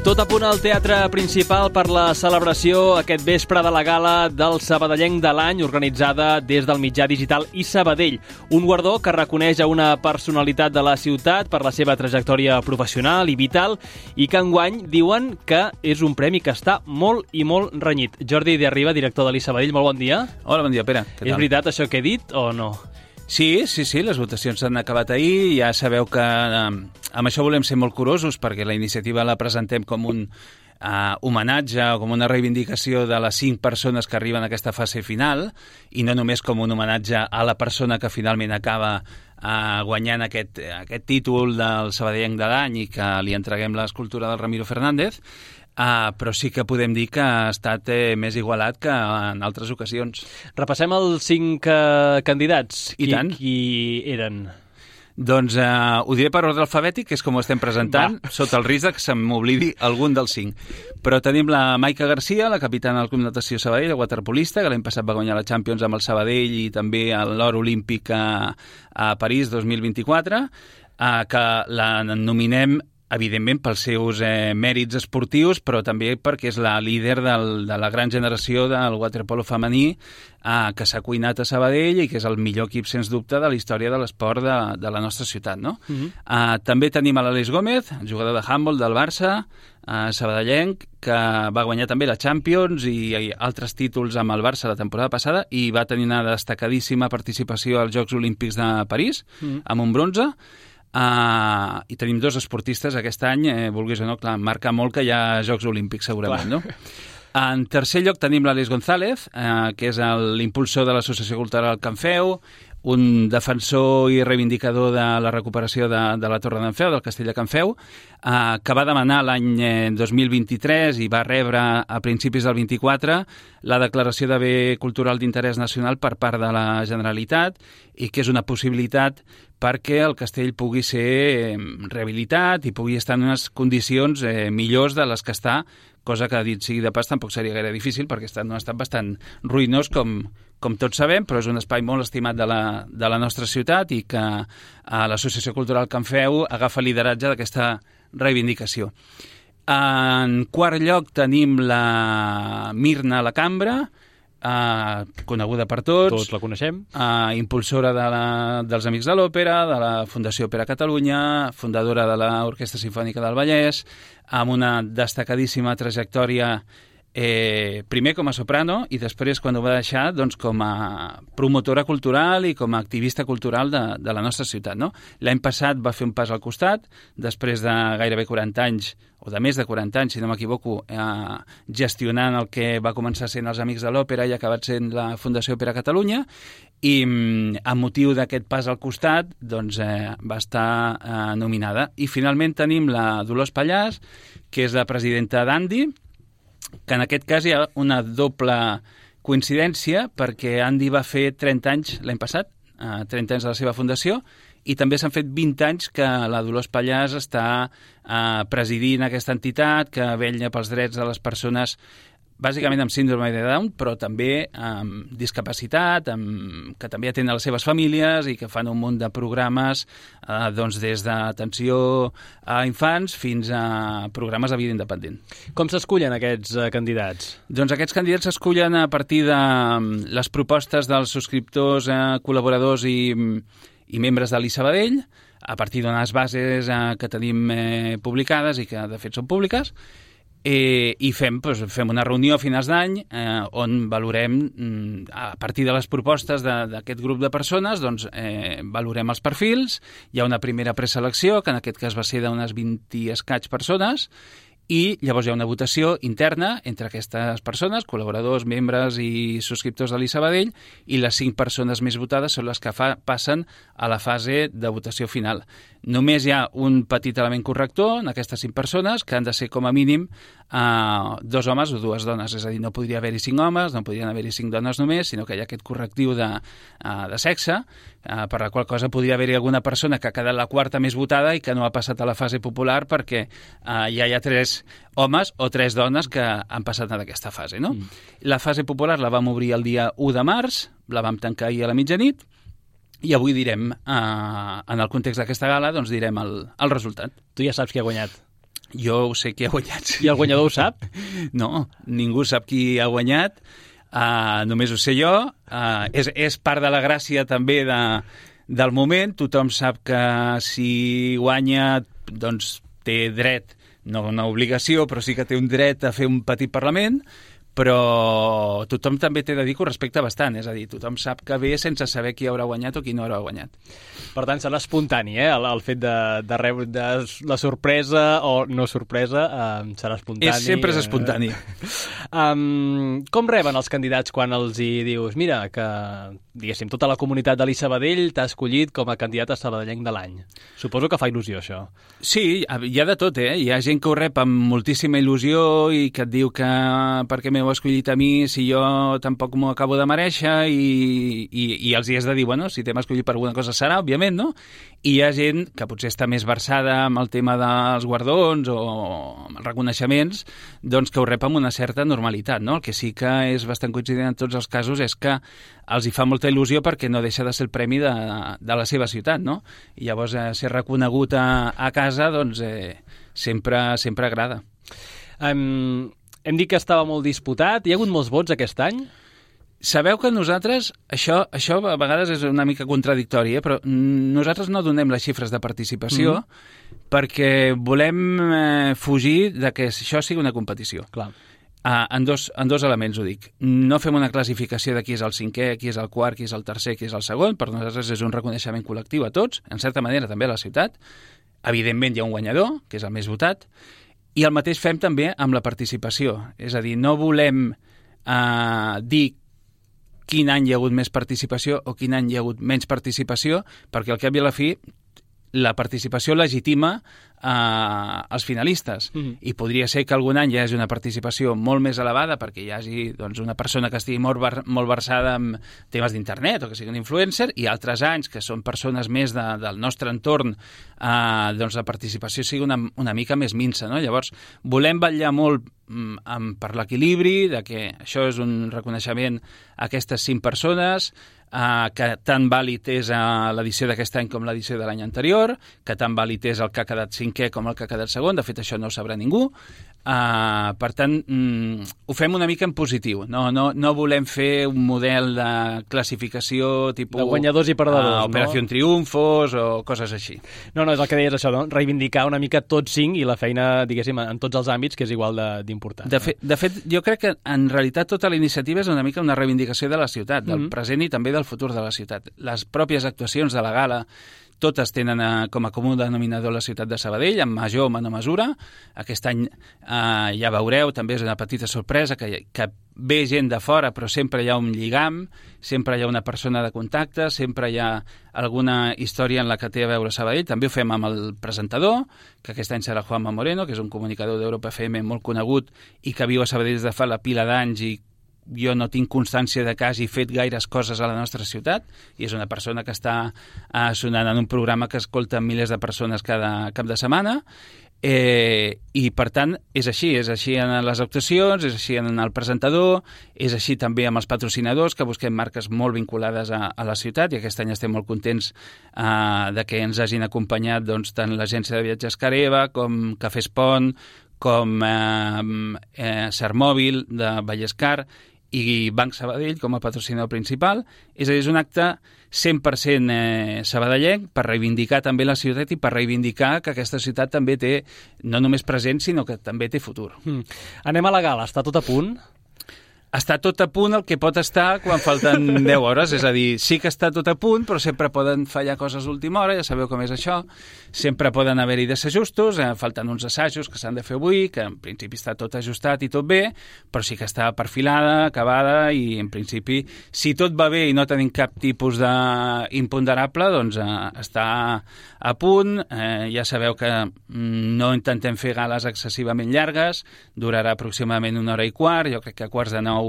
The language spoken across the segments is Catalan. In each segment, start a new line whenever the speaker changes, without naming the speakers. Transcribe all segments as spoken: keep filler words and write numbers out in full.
Tot a punt al teatre principal per la celebració aquest vespre de la gala del Sabadellenc de l'any, organitzada des del mitjà digital i Sabadell. Un guardó que reconeix a una personalitat de la ciutat per la seva trajectòria professional i vital i que enguany diuen que és un premi que està molt i molt renyit. Jordi de Arriba, director de l'I Sabadell, molt bon dia.
Hola, bon dia, Pere.
És veritat això que he dit o no?
Sí, sí, sí, les votacions s'han acabat ahir. Ja sabeu que eh, amb això volem ser molt curosos perquè la iniciativa la presentem com un eh, homenatge o com una reivindicació de les cinc persones que arriben a aquesta fase final i no només com un homenatge a la persona que finalment acaba eh, guanyant aquest, aquest títol del Sabadellenc de l'any i que li entreguem l'escultura del Ramiro Fernández. Uh, però sí que podem dir que ha estat eh, més igualat que en altres ocasions.
Repassem els cinc uh, candidats.
I
qui,
tant.
Qui eren?
Doncs uh, ho diré per ordre alfabètic, que és com ho estem presentant, Va. Sota el risc que se m'oblidi algun dels cinc. Però tenim la Maica Garcia, la capitana del Club Natació Sabadell, la waterpolista, que l'any passat va guanyar la Champions amb el Sabadell i també l'or olímpic a, a París dos mil vint-i-quatre, uh, que la nominem evidentment pels seus eh, mèrits esportius, però també perquè és la líder del, de la gran generació del waterpolo femení eh, que s'ha cuinat a Sabadell i que és el millor equip, sens dubte, de la història de l'esport de, de la nostra ciutat, no? Uh-huh. eh, també tenim a l'Aleix Gómez, jugador de handball del Barça, eh, sabadellenc, que va guanyar també la Champions i, i altres títols amb el Barça la temporada passada i va tenir una destacadíssima participació als Jocs Olímpics de París, uh-huh. amb un bronze. Uh, i tenim dos esportistes aquest any, eh, vulguis o no, clar, marca molt que hi ha Jocs Olímpics segurament, clar. No? En tercer lloc tenim l'Àlex González, eh, que és l'impulsor de l'Associació Cultural Can Feu, un defensor i reivindicador de la recuperació de, de la Torre d'en Feu, del castell de Can Feu, eh, que va demanar l'any eh, dos mil vint-i-tres i va rebre a principis del vint-i-quatre la declaració de bé cultural d'interès nacional per part de la Generalitat i que és una possibilitat perquè el castell pugui ser rehabilitat i pugui estar en unes condicions eh, millors de les que està, cosa que, dit sigui de pas, tampoc seria gaire difícil perquè està en un estat bastant ruïnós, com, com tots sabem, però és un espai molt estimat de la, de la nostra ciutat i que eh, l'Associació Cultural Can Feu agafa lideratge d'aquesta reivindicació. En quart lloc tenim la Mirna La Cambra, Uh, coneguda per tots.
Tots la coneixem.
Uh, impulsora de la, dels Amics de l'Òpera, de la Fundació Òpera Catalunya, fundadora de l'Orquestra Simfònica del Vallès, amb una destacadíssima trajectòria eh, primer com a soprano i després, quan ho va deixar, doncs, com a promotora cultural i com a activista cultural de, de la nostra ciutat. No? L'any passat va fer un pas al costat, després de gairebé quaranta anys, o de més de quaranta anys, si no m'equivoco, eh, gestionant el que va començar sent els Amics de l'Òpera i ha acabat sent la Fundació Òpera Catalunya, i amb motiu d'aquest pas al costat doncs, eh, va estar eh, nominada. I finalment tenim la Dolors Pallàs, que és la presidenta d'Andi, que en aquest cas hi ha una doble coincidència perquè Andi va fer trenta anys l'any passat, eh, trenta anys de la seva fundació, i també s'han fet vint anys que la Dolors Pallàs està eh, presidint aquesta entitat que vetlla pels drets de les persones bàsicament amb síndrome de Down, però també amb discapacitat, amb, que també atenen les seves famílies i que fan un munt de programes eh, doncs des d'atenció a infants fins a programes de vida independent.
Com s'escullen aquests eh, candidats?
Doncs aquests candidats s'escullen a partir de les propostes dels subscriptors, eh, col·laboradors i i membres de l'I Sabadell, a partir d'unes bases eh, que tenim eh, publicades i que de fet són públiques, eh, i fem, doncs, fem una reunió a finals d'any eh, on valorem, a partir de les propostes d'aquest grup de persones, doncs, eh, valorem els perfils, hi ha una primera preselecció, que en aquest cas va ser d'unes vint i escaig persones, i llavors hi ha una votació interna entre aquestes persones, col·laboradors, membres i subscriptors de l'I Sabadell, i les cinc persones més votades són les que fa, passen a la fase de votació final. Només hi ha un petit element corrector en aquestes cinc persones, que han de ser com a mínim eh, dos homes o dues dones, és a dir, no podria haver-hi cinc homes, no podrien haver-hi cinc dones només, sinó que hi ha aquest correctiu de, eh, de sexe, eh, per la qual cosa podria haver-hi alguna persona que ha quedat la quarta més votada i que no ha passat a la fase popular perquè eh, ja hi ha tres homes o tres dones que han passat en aquesta fase, no? Mm. La fase popular la vam obrir el dia u de març, la vam tancar ahir a la mitjanit, i avui direm, eh, en el context d'aquesta gala, doncs direm el, el resultat.
Tu ja saps qui ha guanyat.
Jo ho sé qui ha guanyat. Sí.
I el guanyador ho sap?
No, ningú sap qui ha guanyat, uh, només ho sé jo. Uh, és, és part de la gràcia també de, del moment. Tothom sap que si guanya, doncs té dret, no una obligació, però sí que té un dret a fer un petit Parlament, però tothom també té de dir que ho respecta bastant, és a dir, tothom sap que ve sense saber qui haurà guanyat o qui no haurà guanyat.
Per tant, serà espontani, eh? El, el fet de, de rebre de la sorpresa o no sorpresa eh, serà espontani.
És, sempre és espontani.
Eh? Um, com reben els candidats quan els hi dius mira, que, diguéssim, tota la comunitat de l'I Sabadell t'ha escollit com a candidat a sabadellenc de l'any? Suposo que fa il·lusió, això.
Sí, hi ha de tot, eh? Hi ha gent que ho rep amb moltíssima il·lusió i que et diu que perquè m'heu escollit a mi si jo tampoc m'ho acabo de mereixer i, i, i els hi has de dir, bueno, si t'hem escollit per alguna cosa serà, òbviament, no? I hi ha gent que potser està més versada amb el tema dels guardons o amb els reconeixements, doncs que ho rep amb una certa normalitat, no? El que sí que és bastant coincident en tots els casos és que els hi fa molta il·lusió perquè no deixa de ser el premi de, de la seva ciutat, no? I llavors eh, ser reconegut a, a casa, doncs eh, sempre, sempre agrada.
Um, hem dit que estava molt disputat. Hi ha hagut molts vots aquest any?
Sabeu que nosaltres, això, això a vegades és una mica contradictori, eh? Però nosaltres no donem les xifres de participació mm-hmm. perquè volem eh, fugir de que això sigui una competició.
Clar.
Ah, en, dos, en dos elements ho dic. No fem una classificació de qui és el cinquè, qui és el quart, qui és el tercer, qui és el segon. Per nosaltres és un reconeixement col·lectiu a tots, en certa manera també a la ciutat. Evidentment hi ha un guanyador, que és el més votat, i el mateix fem també amb la participació. És a dir, no volem eh, dir quin any hi ha hagut més participació o quin any hi ha hagut menys participació, perquè al cap i a la fi la participació legitima eh, els finalistes. Mm-hmm. I podria ser que algun any hi hagi una participació molt més elevada perquè hi hagi doncs, una persona que estigui molt, ver molt versada en temes d'internet o que sigui un influencer, i altres anys que són persones més de, del nostre entorn, eh, doncs la participació sigui una, una mica més minsa, no? Llavors, volem vetllar molt mm, amb, per l'equilibri, de que això és un reconeixement a aquestes cinc persones, Uh, que tan vàlid és uh, l'edició d'aquest any com l'edició de l'any anterior, que tan vàlid és el que ha quedat cinquè com el que ha quedat segon. De fet, això no ho sabrà ningú. Uh, per tant, mm, ho fem una mica en positiu. No, no, no volem fer un model de classificació tipus...
De guanyadors i perdedors,
uh, Operació
no?
Triunfos o coses així.
No, no, és el que deies això, no? Reivindicar una mica tots cinc i la feina, diguéssim, en tots els àmbits, que és igual d'important.
De, de, fe, de fet, jo crec que en realitat tota la iniciativa és una mica una reivindicació de la ciutat, del mm-hmm. present i també del futur de la ciutat. Les pròpies actuacions de la gala totes tenen eh, com a comú denominador la ciutat de Sabadell, en major o menor mesura. Aquest any eh, ja veureu, també és una petita sorpresa, que, que ve gent de fora, però sempre hi ha un lligam, sempre hi ha una persona de contacte, sempre hi ha alguna història en la que té a veure Sabadell. També ho fem amb el presentador, que aquest any serà Juanma Moreno, que és un comunicador d'Europa F M molt conegut i que viu a Sabadell des de fa la pila d'anys i jo no tinc constància de que hagi fet gaires coses a la nostra ciutat, i és una persona que està eh, sonant en un programa que escolta milers de persones cada cap de setmana, eh, i per tant és així, és així en les actuacions, és així en el presentador, és així també amb els patrocinadors, que busquem marques molt vinculades a, a la ciutat, i aquest any estem molt contents eh, de que ens hagin acompanyat doncs, tant l'agència de viatges Careva com Cafè Espont, com eh, eh, Sermòbil de Vallescar i Banc Sabadell com a patrocinador principal. És a dir, és un acte cent per cent eh, sabadellenc per reivindicar també la ciutat i per reivindicar que aquesta ciutat també té no només present, sinó que també té futur. Mm.
Anem a la gala, està tot a punt?
Està tot a punt el que pot estar quan falten deu hores, és a dir, sí que està tot a punt, però sempre poden fallar coses d'última hora, ja sabeu com és això, sempre poden haver-hi desajustos, eh, falten uns assajos que s'han de fer avui, que en principi està tot ajustat i tot bé, però sí que està perfilada, acabada, i en principi, si tot va bé i no tenim cap tipus d'imponderable, doncs eh, està a punt. Eh, ja sabeu que no intentem fer gales excessivament llargues, durarà aproximadament una hora i quart, jo crec que a quarts de nou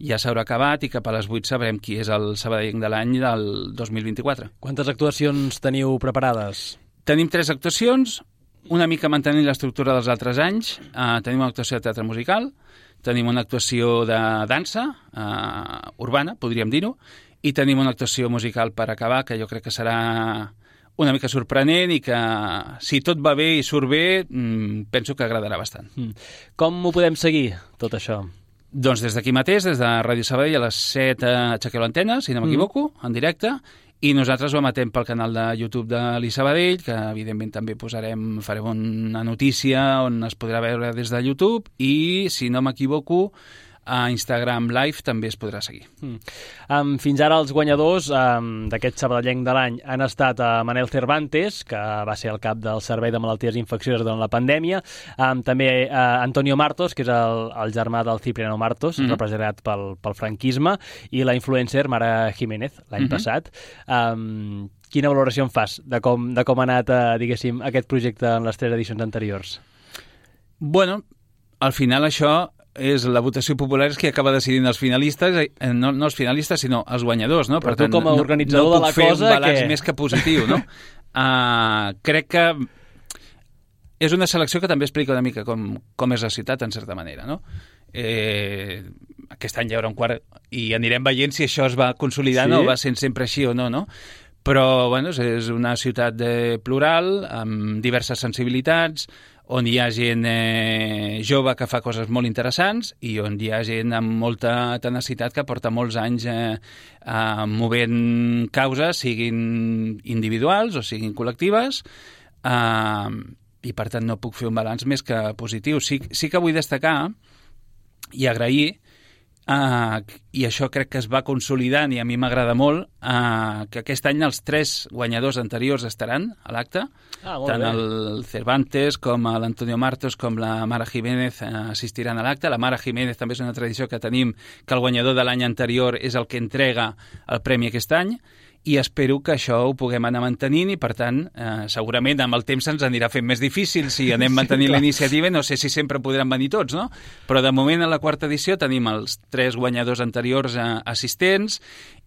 ja s'haurà acabat i cap a les vuit sabrem qui és el sabadellenc de l'any del dos mil vint-i-quatre.
Quantes actuacions teniu preparades?
Tenim tres actuacions, una mica mantenint l'estructura dels altres anys. Uh, tenim una actuació de teatre musical, tenim una actuació de dansa uh, urbana, podríem dir-ho, i tenim una actuació musical per acabar, que jo crec que serà una mica sorprenent i que, si tot va bé i surt bé, penso que agradarà bastant.
Mm. Com ho podem seguir, tot això?
Doncs des d'aquí mateix, des de Ràdio Sabadell, a les set aixequeu l'antena, si no m'equivoco, mm. en directe, i nosaltres ho emetem pel canal de YouTube de l'I Sabadell, que evidentment també posarem, farem una notícia on es podrà veure des de YouTube, i si no m'equivoco, a Instagram Live també es podrà seguir.
Mm. Um, fins ara els guanyadors um, d'aquest sabadellenc de l'any han estat uh, Manel Cervantes, que va ser el cap del Servei de Malalties Infeccioses durant la pandèmia, um, també uh, Antonio Martos, que és el, el germà del Cipriano Martos, mm-hmm. representat pel, pel franquisme, i la influencer Mara Jiménez, l'any mm-hmm. passat. Um, quina valoració en fas de com, de com ha anat, uh, diguéssim, aquest projecte en les tres edicions anteriors?
Bueno, al final això és la votació popular és que acaba decidint els finalistes, eh, no, no els finalistes, sinó els guanyadors, no?
Però
per
tu
tant,
com a organitzador
no, no
de la
puc fer
cosa...
un balanç
que...
més que positiu, no? uh, crec que és una selecció que també explica una mica com, com és la ciutat, en certa manera, no? Eh, aquest any hi haurà un quart i anirem veient si això es va consolidant sí? o va sent sempre així o no, no? Però, bueno, és una ciutat de plural, amb diverses sensibilitats, on hi ha gent eh, jove que fa coses molt interessants i on hi ha gent amb molta tenacitat que porta molts anys eh, eh, movent causes, siguin individuals o siguin col·lectives, eh, i per tant no puc fer un balanç més que positiu. Sí, sí que vull destacar i agrair Uh, i això crec que es va consolidant i a mi m'agrada molt, uh, que aquest any els tres guanyadors anteriors estaran a l'acte,
ah,
tant
bé.
el Cervantes com l'Antonio Martos com la Mara Jiménez uh, assistiran a l'acte. La Mara Jiménez també és una tradició que tenim, que el guanyador de l'any anterior és el que entrega el premi aquest any, i espero que això ho puguem anar mantenint i, per tant, eh, segurament amb el temps se'ns anirà fent més difícil si anem mantenint sí, la iniciativa. No sé si sempre podran venir tots, no? Però de moment, a la quarta edició, tenim els tres guanyadors anteriors eh, assistents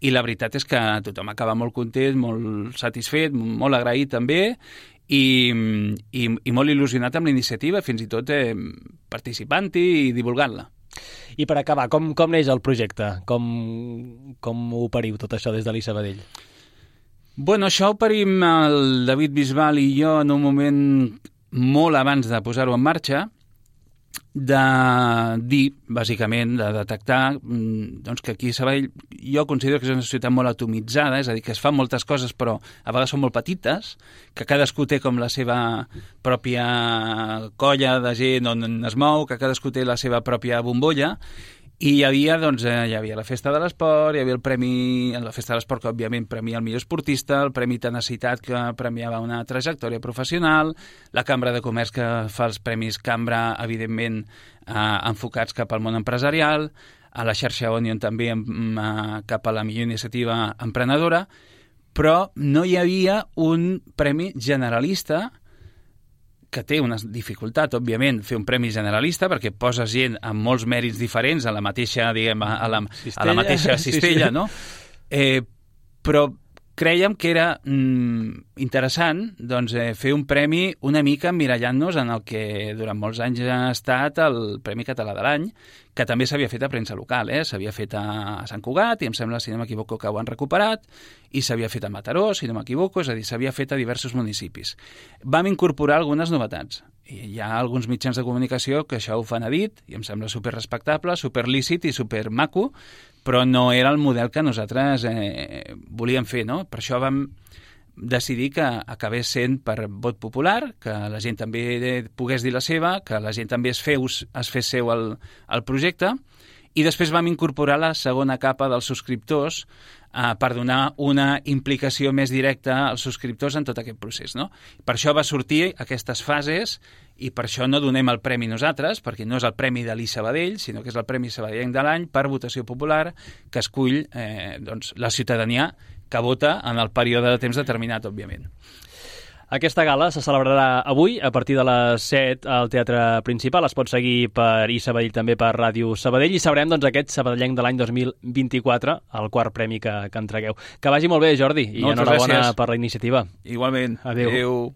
i la veritat és que tothom acaba molt content, molt satisfet, molt agraït també i, i, i molt il·lusionat amb la iniciativa, fins i tot eh, participant-hi i divulgant-la.
I per acabar, com, com neix el projecte? Com, com ho operiu tot això des de l'I Sabadell?
Bueno, això ho operim el David Bisbal i jo en un moment molt abans de posar-ho en marxa, de dir, bàsicament, de detectar doncs, que aquí a Sabadell jo considero que és una ciutat molt atomitzada, és a dir, que es fan moltes coses però a vegades són molt petites, que cadascú té com la seva pròpia colla de gent on es mou, que cadascú té la seva pròpia bombolla, i hi havia, doncs, eh, hi havia la Festa de l'Esport, hi havia el Premi, la Festa de l'Esport que, òbviament, premia el millor esportista, el Premi Tenacitat que premiava una trajectòria professional, la Cambra de Comerç que fa els Premis Cambra, evidentment, eh, enfocats cap al món empresarial, a la xarxa Onion també eh, cap a la millor iniciativa emprenedora, però no hi havia un premi generalista que té una dificultat, òbviament, fer un premi generalista, perquè poses gent amb molts mèrits diferents a la mateixa, diguem, a la, a la mateixa cistella, sí, sí. no? Eh, però crèiem que era mm, interessant doncs, eh, fer un premi una mica emmirallant-nos en el que durant molts anys ha estat el Premi Català de l'Any, que també s'havia fet a premsa local, eh? S'havia fet a Sant Cugat, i em sembla, si no m'equivoco, que ho han recuperat, i s'havia fet a Mataró, si no m'equivoco, és a dir, s'havia fet a diversos municipis. Vam incorporar algunes novetats. I hi ha alguns mitjans de comunicació que això ho fan a dit, i em sembla superrespectable, superlícit i supermaco, però no era el model que nosaltres eh, volíem fer, no? Per això vam decidir que acabés sent per vot popular, que la gent també pogués dir la seva, que la gent també es, feus, es fes seu el, el projecte, i després vam incorporar la segona capa dels subscriptors eh, per donar una implicació més directa als subscriptors en tot aquest procés, no? Per això va sortir aquestes fases i per això no donem el premi nosaltres, perquè no és el premi de l'I Sabadell, sinó que és el Premi Sabadellenc de l'any per votació popular que escull eh, doncs, la ciutadania que vota en el període de temps determinat, òbviament.
Aquesta gala se celebrarà avui a partir de les set al Teatre Principal. Es pot seguir per I Sabadell, també per Ràdio Sabadell, i sabrem doncs, aquest sabadellenc de l'any dos mil vint-i-quatre, el quart premi que, que entregueu. Que vagi molt bé, Jordi, i
Moltes
enhorabona
gràcies.
per la iniciativa.
Igualment.
Adéu.
Adéu.